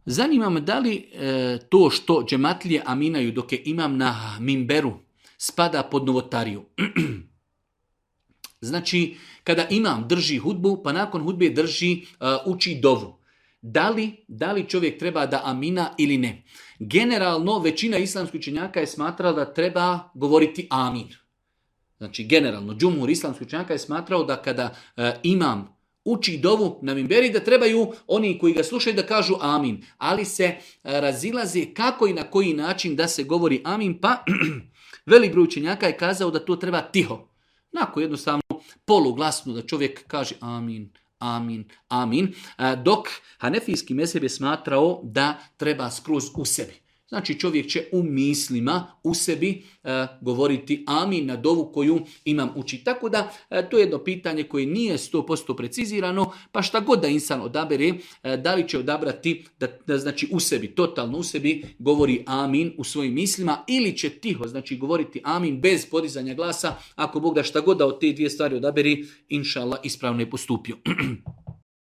Zanima me da li to što džematlije aminaju dok je imam na mimberu spada pod novotariju. Znači, kada imam drži hudbu, pa nakon hudbe uči dovu. Da li čovjek treba da amina ili ne? Generalno, većina islamskih učenjaka je smatrala da treba govoriti amin. Znači, generalno, džumhur islamskih učenjaka je smatrao da kada imam uči dovu na mimberi, da trebaju oni koji ga slušaju da kažu amin. Ali se razilaze kako i na koji način da se govori amin, pa velik broj učenjaka je kazao da to treba tiho. Onako jednostavno poluglasno da čovjek kaže amin, amin, amin. Dok hanefijski mezheb je smatrao da treba skroz u sebi. Znači čovjek će u mislima, u sebi govoriti amin na dovu koju imam uči. Tako da to je jedno pitanje koje nije 100% precizirano, pa šta god da insan odabere, da li će odabrati da znači u sebi, totalno u sebi govori amin u svojim mislima ili će tiho, znači govoriti amin bez podizanja glasa, ako Bog da šta god da od te dvije stvari odaberi, inša Allah ispravno je postupio.